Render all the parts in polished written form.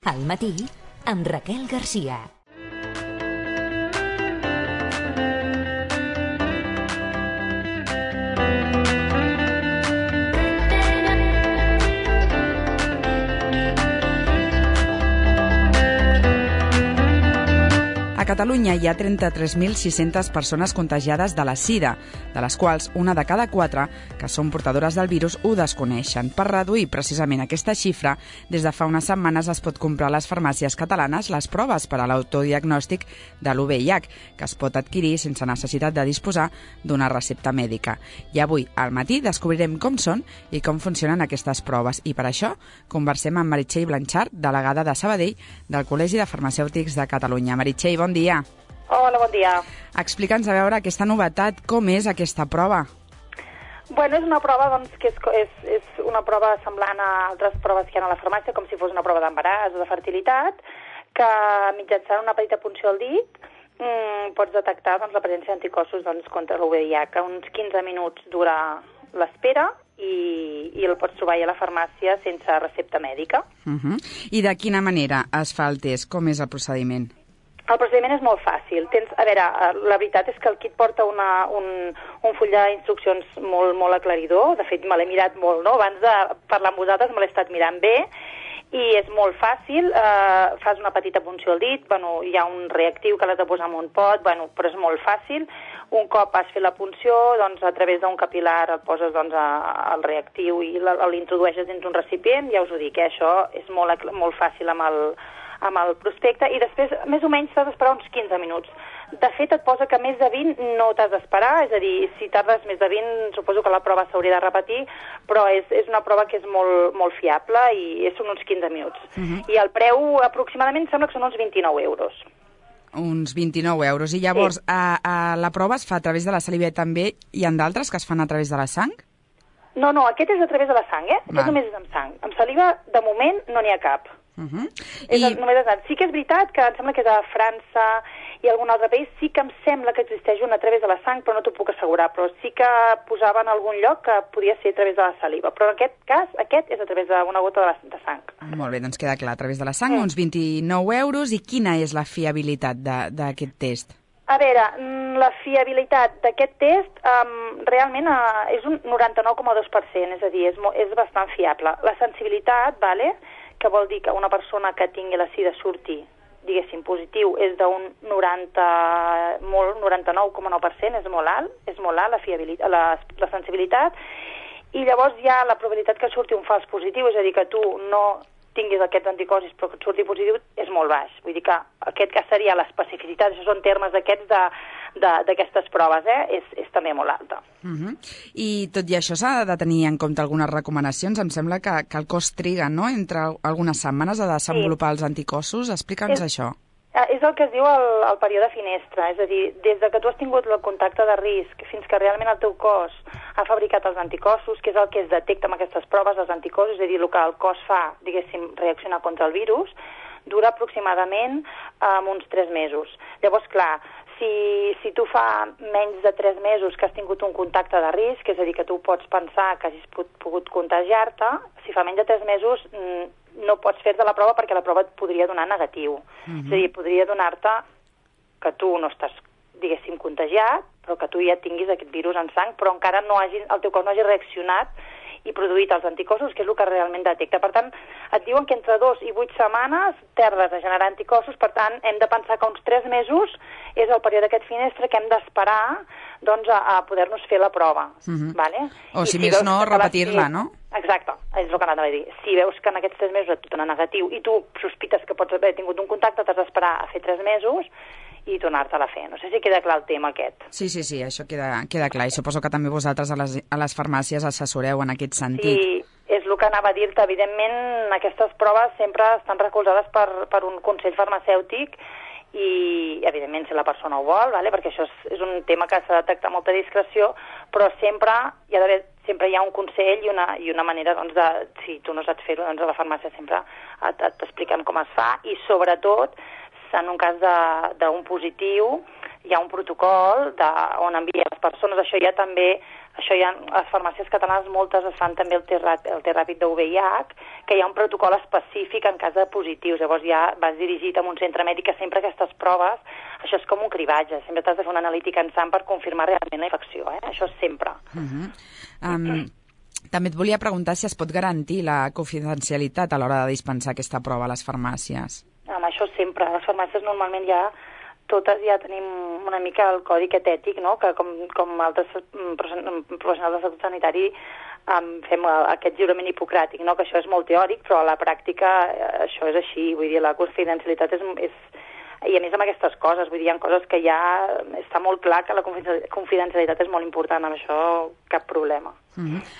Al matí, amb Raquel Garcia. A Catalunya hi ha 33.600 persones contagiades de la sida, de les quals una de cada 4 que són portadores del virus ho desconeixen. Per reduir precisament aquesta xifra, des de fa unes setmanes es pot comprar a les farmàcies catalanes les proves per a l'autodiagnòstic de l'UVIH, que es pot adquirir sense necessitat de disposar d'una recepta mèdica. I avui, al matí, descobrirem com són i com funcionen aquestes proves. I per això conversem amb Meritxell Blanchard, delegada de Sabadell del Col·legi de Farmacèutics de Catalunya. Meritxell, bon dia. Hola, bon dia. Explica'ns, a veure, aquesta novetat, com és aquesta prova? Bueno, és una prova doncs, que és una prova semblant a altres proves que hi ha a la farmàcia, com si fos una prova d'embaràs o de fertilitat, que mitjançant una petita punció al dit pots detectar doncs, la presència d'anticossos contra l'UVIH. Uns 15 minuts dura l'espera i el pots trobar a la farmàcia sense recepta mèdica. I de quina manera es fa el test? Com és el procediment? El procediment és molt fàcil. La veritat és que el kit porta un full d'instruccions molt aclaridor. De fet, me l'he mirat molt, no? Abans de parlar amb vosaltres me l'he estat mirant bé i és molt fàcil. Fas una petita punció al dit, hi ha un reactiu que l'has de posar en un pot, però és molt fàcil. Un cop has fet la punció, a través d'un capilar et poses el reactiu i l'introdueixes dins un recipient. Ja us ho dic, això és molt fàcil amb el prospecte, i després més o menys t'has d'esperar uns 15 minuts. De fet, et posa que més de 20 no t'has d'esperar, és a dir, si tardes més de 20 suposo que la prova s'hauria de repetir, però és una prova que és molt fiable i són uns 15 minuts. I el preu aproximadament sembla que són uns 29 euros. Uns 29 euros. I llavors, sí. La prova es fa a través de la saliva també? Hi ha d'altres que es fan a través de la sang? No, aquest és a través de la sang, Aquest només és amb sang. Amb saliva, de moment, no n'hi ha cap. Sí que és veritat que em sembla que és a França i algun altre país, sí que em sembla que existeix una a través de la sang, però no t'ho puc assegurar, però sí que posava en algun lloc que podia ser a través de la saliva, però en aquest cas, aquest és a través d'una gota de sang. Molt bé, doncs queda clar, a través de la sang, uns 29 euros, i quina és la fiabilitat d'aquest test? A veure, la fiabilitat d'aquest test realment és un 99,2%, és a dir, és bastant fiable. La sensibilitat, que vol dir que una persona que tingui la sida surti, diguéssim, positiu, és d'un 99,9%, és molt alt la sensibilitat, i llavors ja la probabilitat que surti un fals positiu, és a dir, que tu no tinguis aquests anticossos però que et surti positiu, és molt baix. Vull dir que aquest cas seria l'especificitat, això són termes aquests d'aquestes proves, és també molt alta. I tot i això s'ha de tenir en compte algunes recomanacions. Em sembla que el cos triga, no?, entre algunes setmanes a desenvolupar els anticossos. Explica'ns això. És el que es diu el període finestra, és a dir, des que tu has tingut el contacte de risc fins que realment el teu cos ha fabricat els anticossos, que és el que es detecta amb aquestes proves, els anticossos, és a dir, el que el cos fa, diguéssim, reaccionar contra el virus, dura aproximadament uns 3 mesos. Llavors, clar, si tu fa menys de 3 mesos que has tingut un contacte de risc, és a dir, que tu pots pensar que hagis pogut contagiar-te, si fa menys de 3 mesos no pots fer-te la prova perquè la prova et podria donar negatiu. És a dir, podria donar-te que tu no estàs, diguéssim, contagiat, però que tu ja tinguis aquest virus en sang, però encara el teu cos no hagi reaccionat i produït els anticossos, que és el que realment detecta. Per tant, et diuen que entre 2 i 8 setmanes tardes a generar anticossos, per tant, hem de pensar que uns 3 mesos és el període d'aquest finestre que hem d'esperar a poder-nos fer la prova. O si més no, repetir-la, no? Exacte, és el que anava a dir. Si veus que en aquests 3 mesos et dona negatiu i tu sospites que pots haver tingut un contacte, t'has d'esperar a fer 3 mesos i tornar-te-la a fer. No sé si queda clar el tema aquest. Sí, això queda clar. I suposo que també vosaltres a les farmàcies assessoreu en aquest sentit. Sí, és el que anava a dir-te. Evidentment, aquestes proves sempre estan recolzades per un consell farmacèutic i, evidentment, si la persona ho vol, perquè això és un tema que s'ha de detectar amb molta discreció, però sempre hi ha un consell i una manera, si tu no saps fer-ho, a la farmàcia sempre t'expliquem com es fa, i sobretot, en un cas d'un positiu, hi ha un protocol on envia les persones. Això ja també això ja, les farmàcies catalanes moltes es fan també el test ràpid de VIH, que hi ha un protocol específic en cas de positius, llavors ja vas dirigit a un centre mèdic, que sempre aquestes proves, això és com un cribatge, sempre t'has de fer una analítica en sang per confirmar realment la infecció, això és sempre. També et volia preguntar si es pot garantir la confidencialitat a l'hora de dispensar aquesta prova a les farmàcies. Amb això sempre. A les farmàcies normalment totes ja tenim una mica el codi etètic, no? Que com altres professionals de salut sanitari fem aquest jurament hipocràtic, no? Que això és molt teòric, però a la pràctica això és així. Vull dir, la confidencialitat és i a més amb aquestes coses, vull dir, hi ha coses que ja està molt clar que la confidencialitat és molt important, amb això cap problema.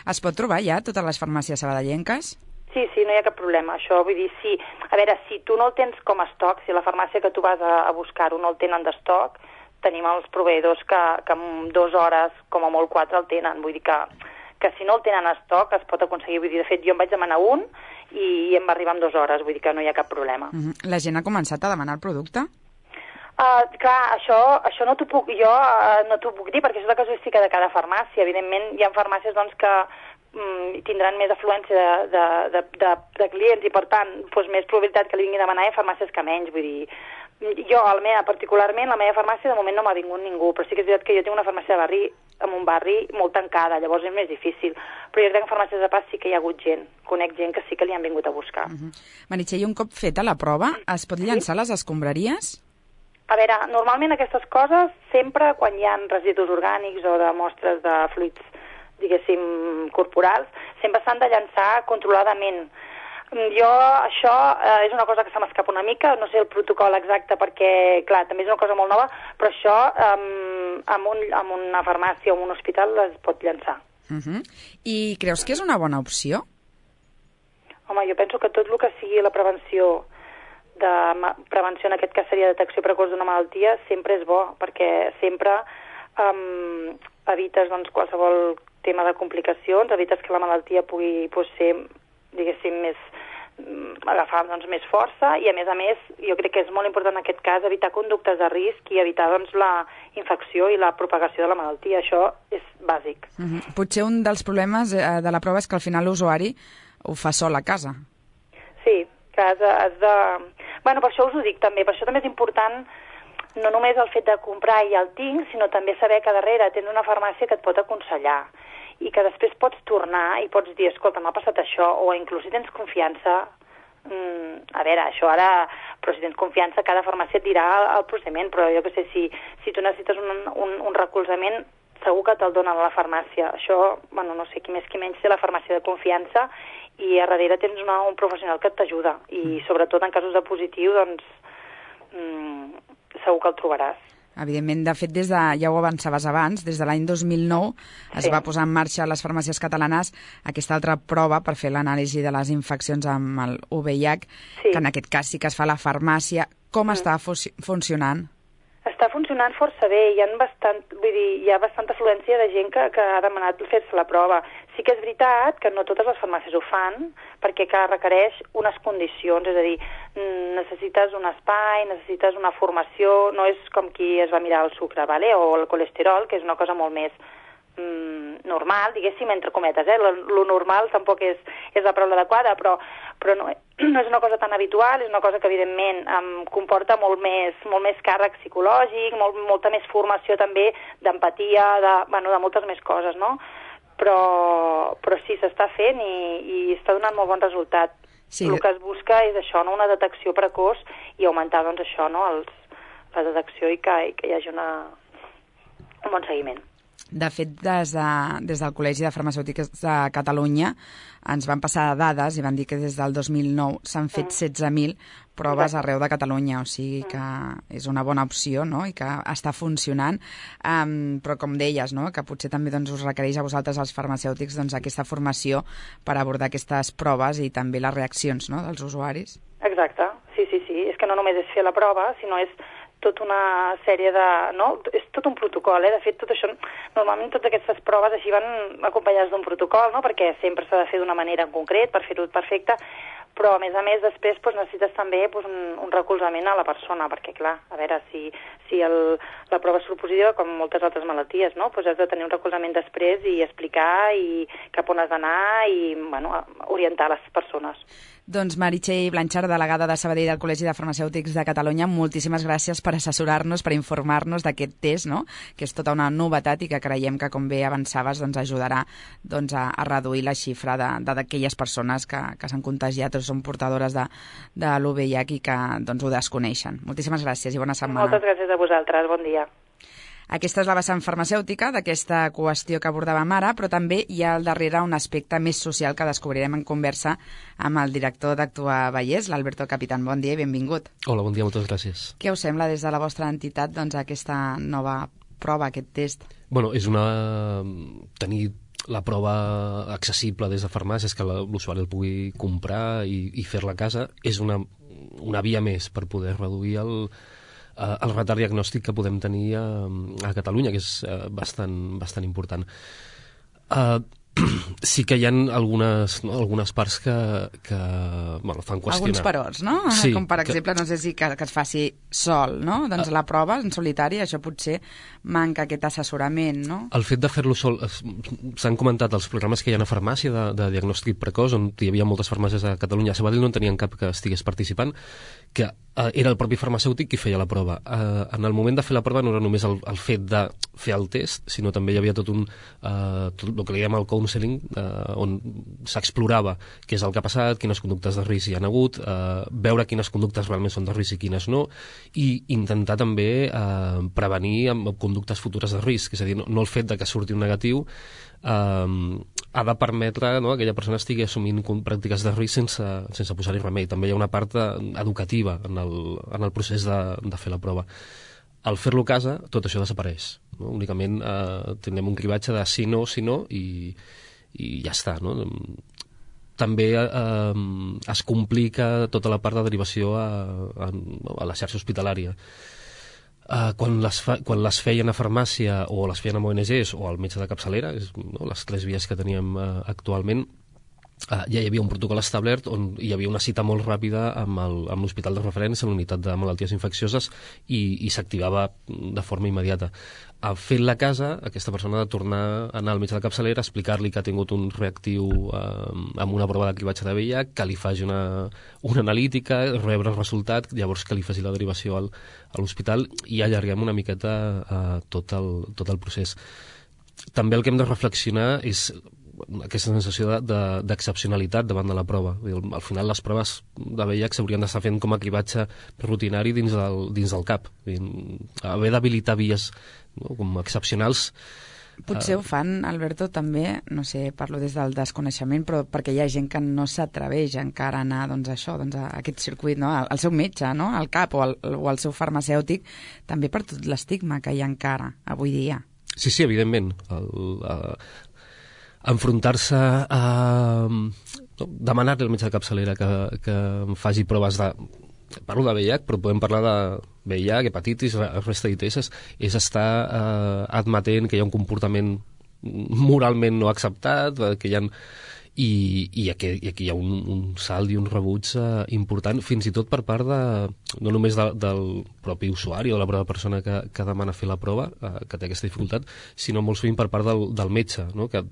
Es pot trobar ja a totes les farmàcies sabadellenques? Sí, no hi ha cap problema. Això, vull dir, sí. A veure, si tu no el tens com a estoc, si la farmàcia que tu vas a buscar-ho no el tenen d'estoc, tenim els proveïdors que en 2 hores, com a molt 4, el tenen. Vull dir que si no el tenen a estoc es pot aconseguir. Vull dir, de fet, jo em vaig demanar un i em va arribar en 2 hores, vull dir que no hi ha cap problema. La gent ha començat a demanar el producte? Clar, això no t'ho puc dir perquè això és la casuística de cada farmàcia. Evidentment, hi ha farmàcies doncs, que tindran més afluència de clients i, per tant, doncs, més probabilitat que li vingui a demanar, i farmàcies que menys. Vull dir, jo, particularment, la meva farmàcia, de moment no m'ha vingut ningú, però sí que és veritat que jo tinc una farmàcia de barri, en un barri molt tancada, llavors és més difícil. Però jo crec que en farmàcies de pas sí que hi ha hagut gent, conec gent que sí que li han vingut a buscar. Meritxell, un cop feta la prova, es pot llançar les escombraries? A veure, normalment aquestes coses, sempre quan hi ha residus orgànics o de mostres de fluids, diguéssim, corporals, sempre s'han de llançar controladament. Jo, això és una cosa que se m'escapa una mica, no sé el protocol exacte perquè, clar, també és una cosa molt nova, però això en una farmàcia o en un hospital es pot llançar. I creus que és una bona opció? Home, jo penso que tot el que sigui la prevenció en aquest cas seria detecció precoç d'una malaltia, sempre és bo, perquè sempre evites doncs, qualsevol tema de complicacions, evites que la malaltia pugui ser, diguéssim, agafar doncs, més força, i a més, jo crec que és molt important en aquest cas evitar conductes de risc i evitar doncs, la infecció i la propagació de la malaltia. Això és bàsic. Potser un dels problemes de la prova és que al final l'usuari ho fa sol a casa. Sí, que has de... Bueno, per això us ho dic també, per això també és important no només el fet de comprar i el tinc, sinó també saber que darrere tens una farmàcia que et pot aconsellar i que després pots tornar i pots dir, escolta, m'ha passat això, o inclús si tens confiança, a veure, això ara, però si tens confiança, cada farmàcia et dirà el procediment, però jo que sé, si tu necessites un recolzament, segur que te'l donen a la farmàcia. Això, bueno, no sé, qui més qui menys té la farmàcia de confiança, i a darrere tens un professional que t'ajuda, i sobretot en casos de positiu, doncs, segur que el trobaràs. Evidentment, de fet, ja ho avançaves abans, des de l'any 2009 es va posar en marxa a les farmàcies catalanes aquesta altra prova per fer l'anàlisi de les infeccions amb el VIH, que en aquest cas sí que es fa a la farmàcia. Com està funcionant? Està funcionant força bé, hi ha bastanta afluència de gent que ha demanat fer-se la prova. Sí que és veritat que no totes les farmàcies ho fan, perquè requereix unes condicions, és a dir, necessites un espai, necessites una formació, no és com qui es va mirar el sucre, ¿vale? O el colesterol, que és una cosa molt més normal, diguéssim, entre cometes, lo normal tampoc és la paraula adequada, però no és una cosa tan habitual, és una cosa que evidentment comporta molt més càrrec psicològic, molta més formació també d'empatia, de moltes més coses, no? Però sí, s'està fent i està donant molt bon resultat. Sí. El que es busca és això, no? Una detecció precoç i augmentar doncs això, no? La detecció i que hi hagi un bon seguiment. De fet, des del Col·legi de Farmacèutics de Catalunya ens van passar dades i van dir que des del 2009 s'han fet 16.000 proves arreu de Catalunya, o sigui que és una bona opció, no? I que està funcionant, però com deies, no? Que potser també doncs, us requereix a vosaltres els farmacèutics doncs, aquesta formació per abordar aquestes proves i també les reaccions, no? Dels usuaris. Exacte, sí, és que no només és fer la prova, sinó és tota una sèrie de... No? És tot un protocol, De fet, tot això... Normalment totes aquestes proves així van acompanyades d'un protocol, no? Perquè sempre s'ha de fer d'una manera en concret per fer-ho perfecte, però a més després necessites també un recolzament a la persona, perquè clar, a veure, si la prova surt positiva, com moltes altres malalties, no? Has de tenir un recolzament després i explicar i cap on has d'anar i orientar les persones. Doncs Meritxell Blanchard, delegada de Sabadell del Col·legi de Farmacèutics de Catalunya, moltíssimes gràcies per assessorar-nos, per informar-nos d'aquest test, no? Que és tota una novetat i que creiem que, com bé avançaves, ajudarà a reduir la xifra d'aquelles persones que s'han contagiat o són portadores de l'UVIH i que ho desconeixen. Moltíssimes gràcies i bona setmana. Moltes gràcies a vosaltres, bon dia. Aquesta és la vessant farmacèutica d'aquesta qüestió que abordàvem ara, però també hi ha al darrere un aspecte més social que descobrirem en conversa amb el director d'Actua Vallès, l'Alberto Capitán. Bon dia i benvingut. Hola, bon dia, moltes gràcies. Què us sembla des de la vostra entitat aquesta nova prova, aquest test? Bueno, és tenir la prova accessible des de farmàcies, que l'usuari el pugui comprar i fer-la a casa, és una via més per poder reduir el retard diagnòstic que podem tenir a Catalunya, que és bastant important. Sí que hi ha algunes parts que fan qüestionar. Alguns perots, no? Sí, com per exemple, no sé si que es faci sol, no? Doncs la prova en solitari, això potser manca aquest assessorament, no? El fet de fer-lo sol, s'han comentat els programes que hi ha a farmàcia de diagnòstic precoç, on hi havia moltes farmàcies a Catalunya. A Sabadell no en tenien cap que estigués participant, que era el propi farmacèutic qui feia la prova. En el moment de fer la prova no era només el fet de fer el test, sinó també hi havia tot el que li diem el counseling, on s'explorava què és el que ha passat, quines conductes de risc hi ha hagut, veure quines conductes realment són de risc i quines no, i intentar també prevenir amb conductes futures de risc. És a dir, no el fet de que surti un negatiu ha de permetre que aquella persona estigui assumint pràctiques de risc sense posar-hi remei. També hi ha una part educativa en el procés de fer la prova. Al fer-lo a casa, tot això desapareix. No? Únicament tindrem un cribatge de si no, i ja està. No? També es complica tota la part de derivació a la xarxa hospitalària. Quan les feien a farmàcia o les feien amb ONGs o al metge de capçalera, les 3 vies que teníem actualment, ja hi havia un protocol establert on hi havia una cita molt ràpida amb l'hospital de referència, a la unitat de malalties infeccioses, i s'activava de forma immediata. Fent-la a casa, aquesta persona ha de tornar a anar al metge de capçalera, explicar-li que ha tingut un reactiu amb una prova de cribatge de VIH, que li faci una analítica, rebre el resultat, llavors que li faci la derivació a l'hospital, i allarguem una miqueta tot el procés. També el que hem de reflexionar és aquesta sensació d'excepcionalitat davant de la prova. Al final les proves de VIH s'haurien d'estar fent com a cribatge rutinari dins del CAP. Haver d'habilitar vies com excepcionals. Potser ho fan, Alberto, també, no sé, parlo des del desconeixement, però perquè hi ha gent que no s'atreveix encara a anar a aquest circuit, no? Al seu metge, no? Al CAP o al seu farmacèutic, també per tot l'estigma que hi ha encara avui dia. Sí, evidentment. Enfrontar-se a demanar-li al metge de capçalera que em faci proves parlo de VIH, però podem parlar de VIH, hepatitis, resta d'ITS, és estar admetent que hi ha un comportament moralment no acceptat, que hi ha... I aquí hi ha un salt i un rebuig important, fins i tot per part no només del propi usuari o de la prova persona que demana fer la prova, que té aquesta dificultat, sinó molt sovint per part del metge, no? que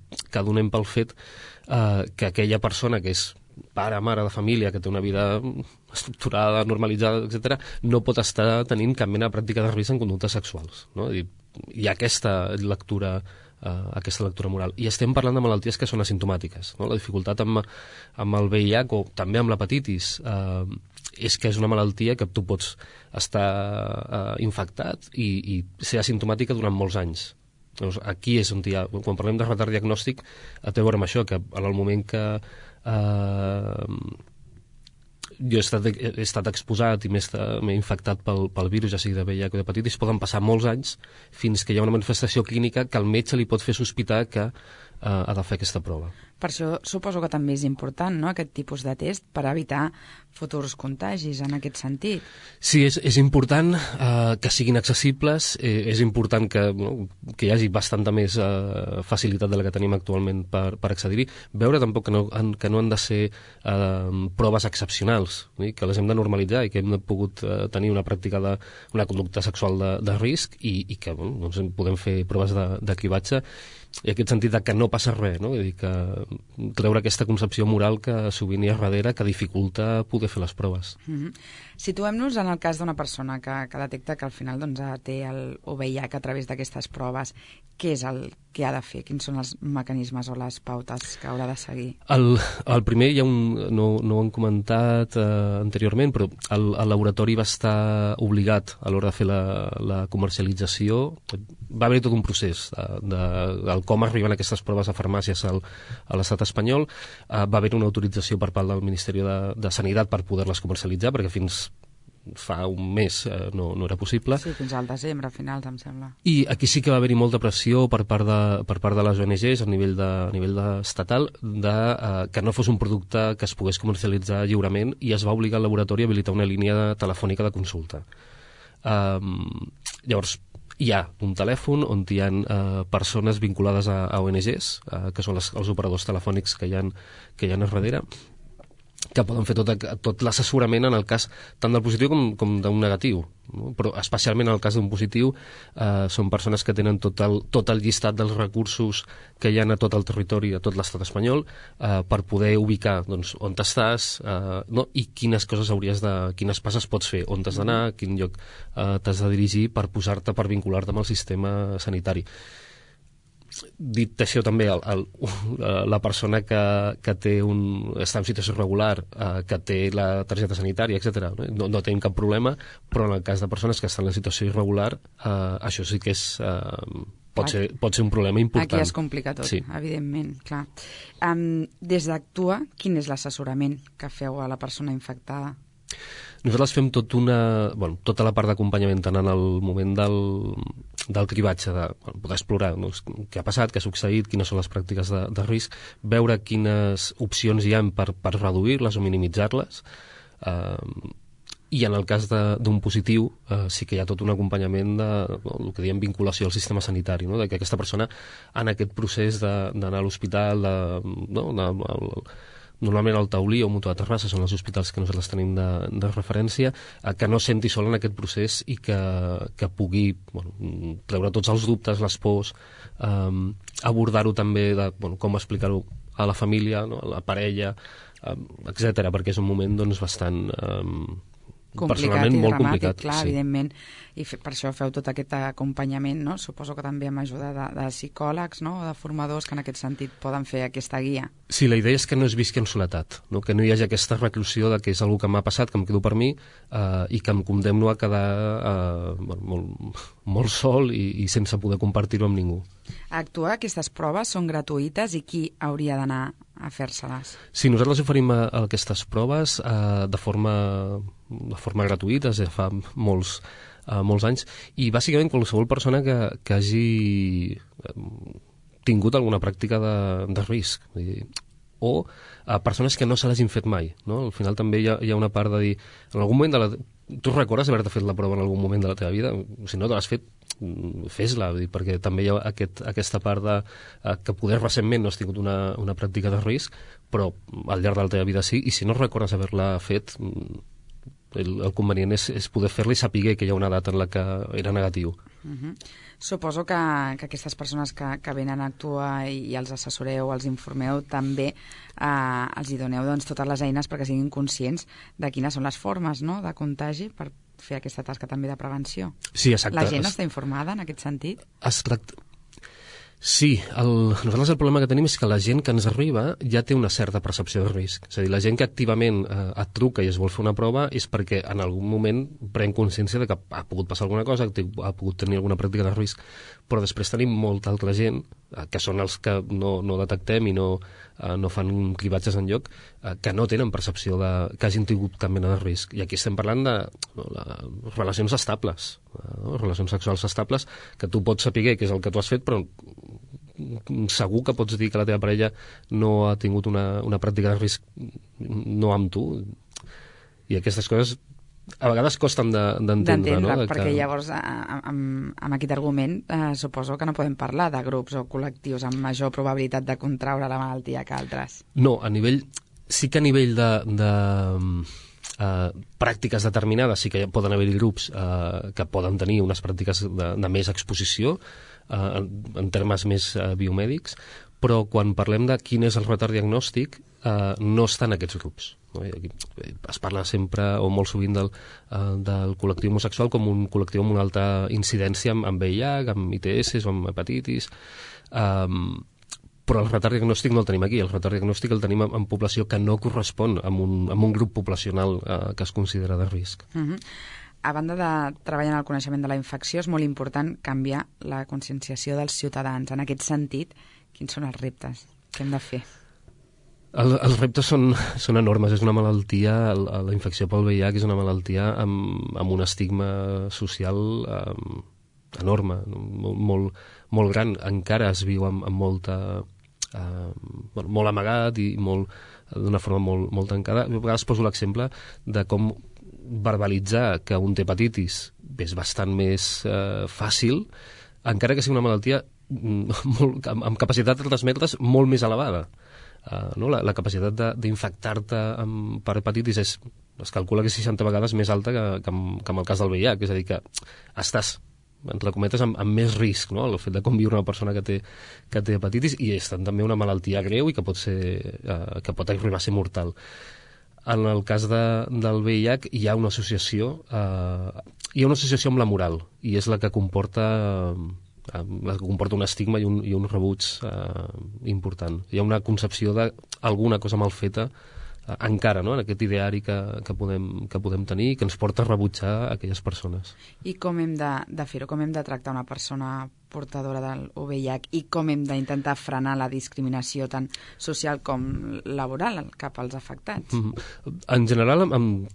donem pel fet que aquella persona que és pare, mare de família, que té una vida estructurada, normalitzada, etc., no pot estar tenint cap mena de pràctica de risc en conductes sexuals. No? Hi ha aquesta lectura moral. I estem parlant de malalties que són asimptomàtiques. No? La dificultat amb el VIH o també amb l'hepatitis és que és una malaltia que tu pots estar infectat i ser asimptomàtica durant molts anys. Llavors, aquí és on hi ha... Quan parlem de retard diagnòstic, té a veure amb això, que en el moment que jo he estat exposat i m'he infectat pel virus, ja sigui de VIH o d'hepatitis, poden passar molts anys fins que hi ha una manifestació clínica que el metge li pot fer sospitar que ha de fer aquesta prova. Per això suposo que també és important, no?, aquest tipus de test per evitar futurs contagis en aquest sentit. Sí, és important que siguin accessibles, és important que hi hagi bastanta més facilitat de la que tenim actualment per accedir-hi. Veure tampoc que no han de ser proves excepcionals, que les hem de normalitzar i que hem pogut tenir una pràctica una conducta sexual de risc i que doncs podem fer proves de cribatge, i aquest sentit de que no passa res, no? Vull dir que treure aquesta concepció moral que sovint hi ha darrere que dificulta poder fer les proves. Situem-nos en el cas d'una persona que detecta que al final té el VIH a través d'aquestes proves. Què és el que ha de fer? Quins són els mecanismes o les pautes que haurà de seguir? El primer, no ho han comentat anteriorment, però el laboratori va estar obligat a l'hora de fer la comercialització. Va haver tot un procés del com arriben aquestes proves a farmàcies a l'estat espanyol. Va haver una autorització per part del Ministeri de Sanitat per poder-les comercialitzar, perquè fins fa un mes no era possible. Sí, fins al desembre, a finals, em sembla. I aquí sí que va haver-hi molta pressió per part de les ONGs a nivell estatal que no fos un producte que es pogués comercialitzar lliurement, i es va obligar el laboratori a habilitar una línia telefònica de consulta. Llavors, hi ha un telèfon on hi ha persones vinculades a ONGs, que són els operadors telefònics que hi ha a darrere, que poden fer tot l'assessorament en el cas tant del positiu com d'un negatiu, no? Però especialment en el cas d'un positiu són persones que tenen tot el llistat dels recursos que hi ha a tot el territori, a tot l'estat espanyol, per poder ubicar on estàs, i quines passes pots fer, on t'has d'anar, a quin lloc t'has de dirigir per per vincular-te amb el sistema sanitari. Dit això, també la persona que està en situació irregular, que té la targeta sanitària, etc., no tenim cap problema, però en el cas de persones que estan en situació irregular, això sí que pot ser un problema important. Aquí es complica tot, sí. Evidentment, clar. Des d'Actua, quin és l'assessorament que feu a la persona infectada? Nosaltres fem tota la part d'acompanyament, tant en el moment del cribatge, de poder explorar què ha passat, què ha succeït, quines són les pràctiques de risc, veure quines opcions hi ha per reduir-les o minimitzar-les, i en el cas d'un positiu sí que hi ha tot un acompanyament del que diem vinculació al sistema sanitari, no? De que aquesta persona en aquest procés d'anar a l'hospital, normalment el Taulí o Mutua de Terrassa són els hospitals que nosaltres tenim de referència, que no senti sol en aquest procés i que pugui treure tots els dubtes, les pors, abordar-ho també de com explicar-ho a la família, a la parella, etc., perquè és un moment bastant complicat i molt dramàtic, complicat, clar, sí. Evidentment, i per això feu tot aquest acompanyament, no? Suposo que també amb ajuda de psicòlegs, no? O de formadors que en aquest sentit poden fer aquesta guia. Sí, la idea és que no es visqui en soledat, no? Que no hi hagi aquesta reclusió de que és una que m'ha passat, que em quedo per mi, i que em condemno a quedar molt sol i sense poder compartir-ho amb ningú. A Actua, aquestes proves són gratuïtes i qui hauria d'anar a fer-se-les? Sí, nosaltres oferim aquestes proves de forma gratuïta, des de fa molts anys, i bàsicament qualsevol persona que hagi tingut alguna pràctica de risc, o persones que no se l'hagin fet mai, no? Al final també hi ha una part de dir, en algun moment tu recordes haver-te fet la prova en algun moment de la teva vida? Si no te l'has fet, fes-la, perquè també hi ha aquesta part que poder recentment no has tingut una pràctica de risc, però al llarg de la teva vida sí, i si no recordes haver-la fet, el convenient és poder fer-la i saber que hi ha una data en la que era negatiu. Suposo que aquestes persones que venen a Actua i els assessoreu, els informeu, també els hi doneu totes les eines perquè siguin conscients de quines són les formes, no?, de contagi per fer aquesta tasca també de prevenció. Sí, exacte. La gent està informada en aquest sentit? Sí, nosaltres el problema que tenim és que la gent que ens arriba ja té una certa percepció de risc. És a dir, la gent que activament et truca i es vol fer una prova és perquè en algun moment pren consciència de que ha pogut passar alguna cosa, que ha pogut tenir alguna pràctica de risc, però després tenim molta altra gent, que són els que no detectem i no fan cribatges enlloc, que no tenen percepció que hagin tingut cap mena de risc. I aquí estem parlant de relacions estables, relacions sexuals estables, que tu pots saber què és el que tu has fet, però segur que pots dir que la teva parella no ha tingut una pràctica de risc no amb tu. I aquestes coses a vegades costen d'entendre, no? Perquè llavors amb aquest argument suposo que no podem parlar de grups o col·lectius amb major probabilitat de contraure la malaltia que altres. No, sí que a nivell de pràctiques determinades sí que poden haver-hi grups que poden tenir unes pràctiques de més exposició en termes més biomèdics, però quan parlem de quin és el retard diagnòstic no estan aquests grups. Aquí es parla sempre o molt sovint del col·lectiu homosexual com un col·lectiu amb una alta incidència amb VIH, amb ITS o amb hepatitis, però el retard diagnòstic no el tenim aquí. El retard diagnòstic el tenim en població que no correspon a un grup poblacional que es considera de risc. A banda de treballar en el coneixement de la infecció, és molt important canviar la conscienciació dels ciutadans. En aquest sentit, quins són els reptes? Què hem de fer? Els reptes són enormes. És una malaltia, la infecció pel VIH és una malaltia amb un estigma social enorme, molt gran. Encara es viu amb molta... molt amagat i d'una forma molt tancada. A vegades poso l'exemple de com verbalitzar que un té hepatitis és bastant més fàcil, encara que sigui una malaltia amb capacitat de transmetre's molt més elevada. No? La capacitat d'infectar-te per hepatitis es calcula que és 60 vegades més alta que en el cas del VIH, és a dir, que estàs, entre cometes, amb més risc, no? El fet de conviure una persona que té hepatitis, i és també una malaltia greu i que pot arribar a ser mortal. En el cas del VIH hi ha una associació amb la moral, i és la que comporta un estigma i un rebuig important. Hi ha una concepció d'alguna cosa mal feta encara, no? En aquest ideari que podem tenir i que ens porta a rebutjar aquelles persones. I com hem de fer-ho? Com hem de tractar una persona portadora del VIH i com hem d'intentar frenar la discriminació tant social com laboral cap als afectats? En general, amb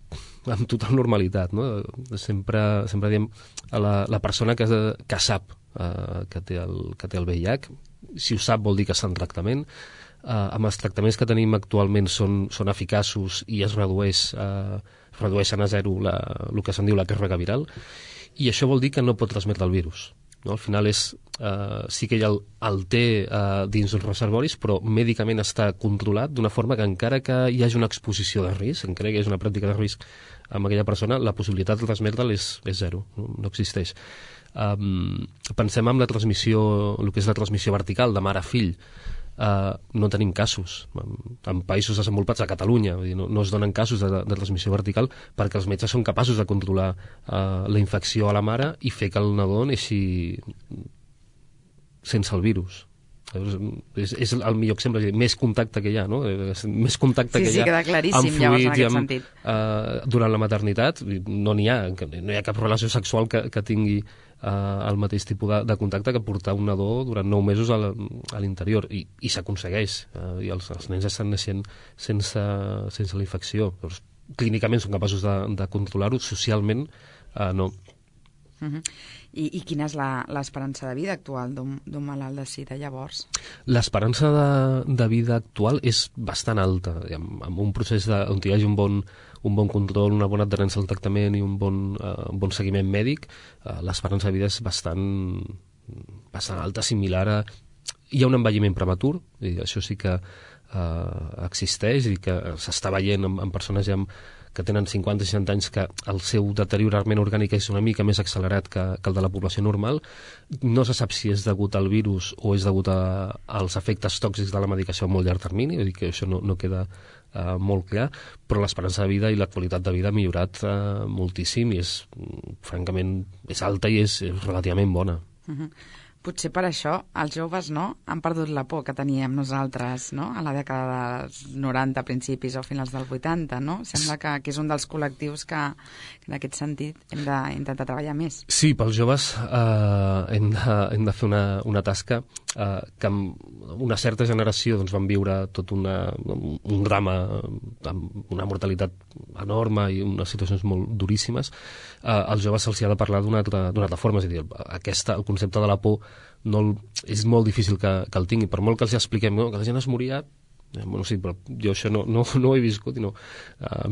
total normalitat, no? Sempre diem a la persona que sap que té el VIH, si ho sap vol dir que està en tractament. Amb els tractaments que tenim actualment són eficaços i es redueixen a zero el que se'n diu la càrrega viral, i això vol dir que no pot transmetre el virus, no? Al final sí que ella el té dins uns reservoris, però mèdicament està controlat d'una forma que encara que hi hagi una exposició de risc, encara que hi hagi una pràctica de risc amb aquella persona, la possibilitat de transmetre'l és zero, no existeix. Pensem en la transmissió, el que és la transmissió vertical de mare a fill. No tenim casos en països desenvolupats, a Catalunya, no es donen casos de transmissió vertical perquè els metges són capaços de controlar la infecció a la mare i fer que el nadó neixi sense el virus. És el millor exemple, més contacte que hi ha, no? Més contacte que hi ha queda claríssim, llavors, en aquest sentit. Durant la maternitat no hi ha cap relació sexual que tingui el mateix tipus de contacte que portar un nadó durant 9 mesos a l'interior, i s'aconsegueix, i els nens estan naixent sense la infecció. Doncs, clínicament són capaços de controlar-ho, socialment no. I quina és l'esperança de vida actual d'un malalt de sida, llavors? L'esperança de vida actual és bastant alta. Amb un procés on hi hagi un bon control, una bona adherència al tractament i un bon seguiment mèdic, l'esperança de vida és bastant alta, similar a... Hi ha un envelliment prematur, i això sí que existeix i que s'està veient en persones ja que tenen 50 i 60 anys, que el seu deteriorament orgànic és una mica més accelerat que el de la població normal. No se sap si és degut al virus o és degut als efectes tòxics de la medicació a molt llarg termini, vull dir que això no queda molt clar, però l'esperança de vida i la qualitat de vida ha millorat moltíssim i francament, és alta i és relativament bona. Potser per això els joves han perdut la por que teníem nosaltres a la dècada dels 90, principis o finals dels 80, no? Sembla que és un dels col·lectius que en aquest sentit hem d'intentar treballar més. Sí, pels joves hem de fer una tasca que amb una certa generació van viure tot un drama amb una mortalitat enorme i unes situacions molt duríssimes. Als joves se'ls ha de parlar d'una altra forma, és a dir, el concepte de la por és molt difícil que el tingui, per molt que els expliquem que la gent es moria Bueno, sí, però jo això no ho he viscut i a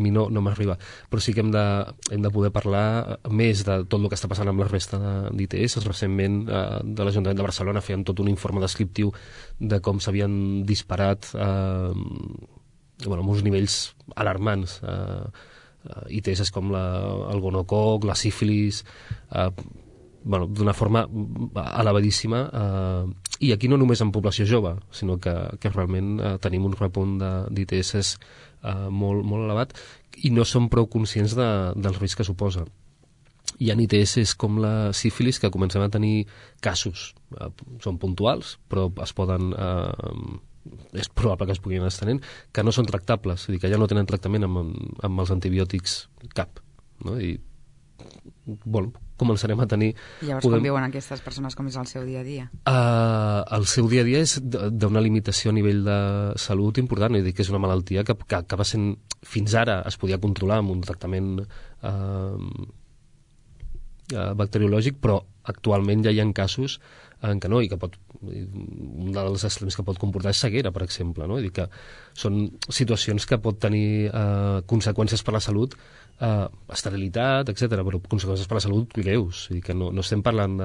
mi no m'arriba. Però sí que hem de poder parlar més de tot el que està passant amb la resta d'ITS. Recentment de l'Ajuntament de Barcelona feien tot un informe descriptiu de com s'havien disparat amb uns nivells alarmants ITS com el gonococ, la sífilis, d'una forma elevadíssima, i aquí no només en població jove, sinó que realment tenim un repunt d'ITS molt, molt elevat i no som prou conscients del risc que suposa. Hi ha ITS com la sífilis que comencem a tenir casos, són puntuals, però es poden és probable que es puguin anar estenent, que no són tractables, és a dir, que ja no tenen tractament amb els antibiòtics cap, no? I començarem a tenir... Llavors, com viuen aquestes persones, com és el seu dia a dia? El seu dia a dia és d'una limitació a nivell de salut important, és a dir, que és una malaltia que acaba sent... Fins ara es podia controlar amb un tractament bacteriològic, però actualment ja hi ha casos en què no, i que un dels extrems que pot comportar és ceguera, per exemple, no? És a dir, que són situacions que pot tenir conseqüències per la salut, esterilitat, etc., però conseqüències per la salut greus, és a dir, que no estem parlant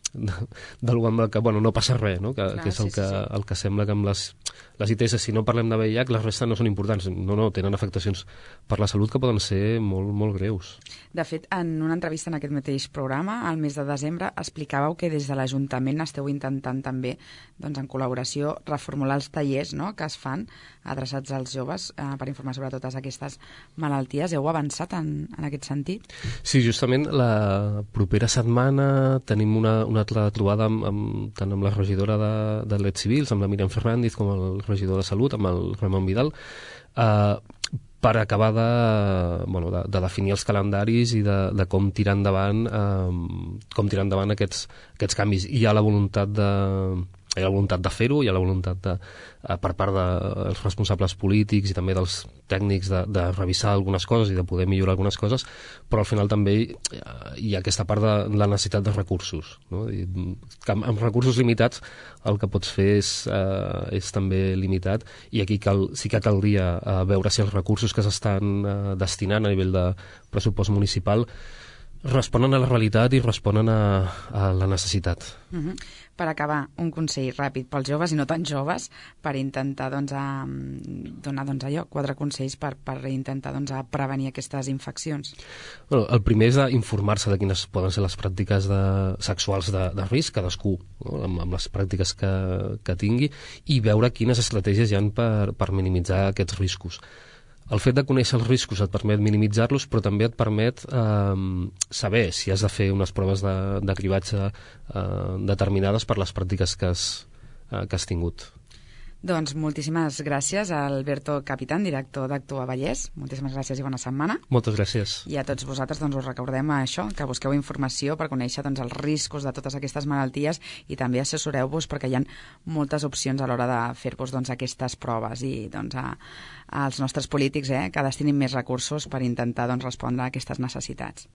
d'algú amb el que no passa res, no? Que és el que sembla que amb les ITS, si no parlem de VIH, les restes no són importants, no, tenen afectacions per la salut que poden ser molt, molt greus. De fet, en una entrevista en aquest mateix programa, al mes de desembre, explicàveu que des de l'Ajuntament esteu intentant també, doncs, en col·laboració, reformular els tallers, no?, que es fan adreçats als joves per informar sobre totes aquestes malalties. Heu avançat en aquest sentit? Sí, justament la propera setmana tenim una altra trobada tant amb la regidora de Drets Civils, amb la Míriam Fernández, com el regidor de Salut, amb el Ramon Vidal, per acabar de definir els calendaris i de com tirar endavant aquests canvis. Hi ha la voluntat de fer-ho, hi ha la voluntat per part dels responsables polítics i també dels tècnics de revisar algunes coses i de poder millorar algunes coses, però al final també hi ha aquesta part de la necessitat de recursos, no? Amb recursos limitats el que pots fer és també limitat, i aquí sí que caldria veure si els recursos que s'estan destinant a nivell de pressupost municipal responen a la realitat i responen a la necessitat. Per acabar, un consell ràpid pels joves i no tan joves per intentar donar 4 consells per intentar prevenir aquestes infeccions. El primer és informar-se de quines poden ser les pràctiques sexuals de risc, cadascú, no?, amb les pràctiques que tingui, i veure quines estratègies hi ha per minimitzar aquests riscos. El fet de conèixer els riscos et permet minimitzar-los, però també et permet saber si has de fer unes proves de cribatge determinades per les pràctiques que has tingut. Doncs moltíssimes gràcies a Alberto Capitán, director d'Actua Vallès. Moltíssimes gràcies i bona setmana. Moltes gràcies. I a tots vosaltres us recordem això, que busqueu informació per conèixer els riscos de totes aquestes malalties i també assessoreu-vos perquè hi ha moltes opcions a l'hora de fer-vos aquestes proves, i als nostres polítics que destinin més recursos per intentar respondre a aquestes necessitats.